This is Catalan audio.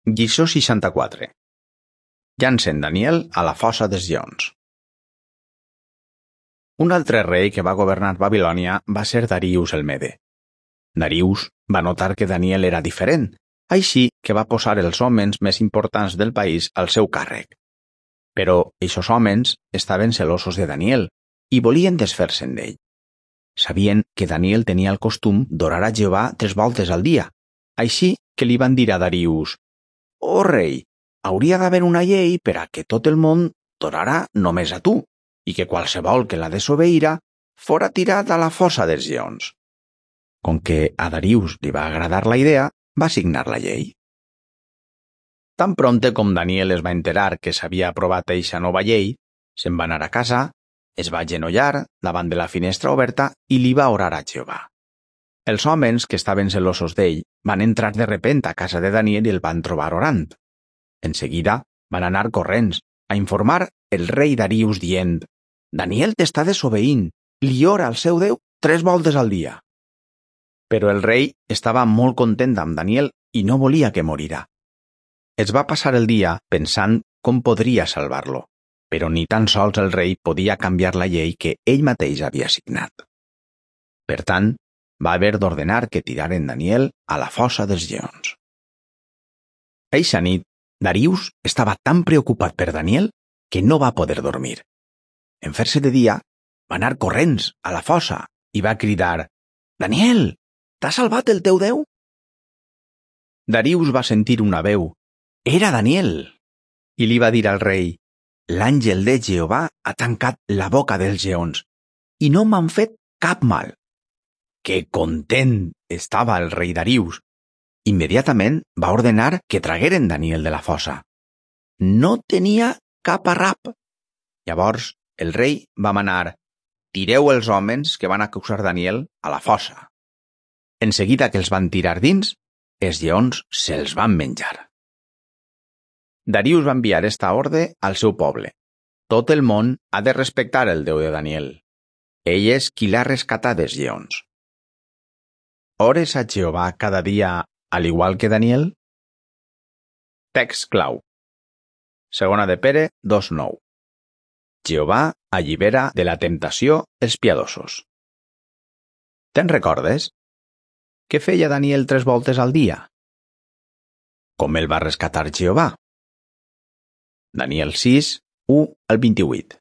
Lliçó 64. Llancen Daniel a la fossa dels lleons. Un altre rei que va governar Babilònia va ser Darius el Mede. Darius va notar que Daniel era diferent, així que va posar els homes més importants del país al seu càrrec. Però aquests homes estaven celosos de Daniel i volien desfer-se'n d'ell. Sabien que Daniel tenia el costum d'orar a Jehovà 3 voltes al dia, així que li van dir a Darius: «Oh rei, hauria d'haver una llei per a que tot el món t'orarà només a tu i que qualsevol que la desobeïra fora tirat a la fossa dels lleons». Com que a Darius li va agradar la idea, va signar la llei. Tan prompte com Daniel es va enterar que s'havia aprovat eixa nova llei, se'n va anar a casa, es va agenollar davant de la finestra oberta i li va orar a Jehovà. Els homes que estaven celosos d'ell van entrar de repent a casa de Daniel i el van trobar orant. En seguida van anar corrents a informar el rei Darius dient: «Daniel t'està desobeint, li ora al seu Déu 3 voltes al dia». Però el rei estava molt content amb Daniel i no volia que morira. Es va passar el dia pensant com podria salvar-lo, però ni tan sols el rei podia canviar la llei que ell mateix havia signat. Per tant, va haver d'ordenar que tiraren Daniel a la fossa dels lleons. Eixa nit, Darius estava tan preocupat per Daniel que no va poder dormir. En fer-se de dia, va anar corrents a la fossa i va cridar: «Daniel, t'ha salvat el teu Déu?» Darius va sentir una veu: «Era Daniel!» i li va dir al rei: «L'àngel de Jehovà ha tancat la boca dels lleons i no m'han fet cap mal». Que content estava el rei Darius! Immediatament va ordenar que tragueren Daniel de la fossa. No tenia cap arrap. Llavors el rei va manar: «Tireu els homes que van acusar Daniel a la fossa». En seguida que els van tirar dins, els lleons se'ls van menjar. Darius va enviar esta ordre al seu poble: «Tot el món ha de respectar el Déu de Daniel. Ell és qui l'ha rescatat dels lleons». ¿Ores a Jehovà cada dia al igual que Daniel? Text clau. 2 de Pere 2:9. Jehovà allibera de la temptació els piadosos. Te'n recordes? Què feia Daniel 3 voltes al dia? Com el va rescatar Jehovà? Daniel 6, 1 al 28.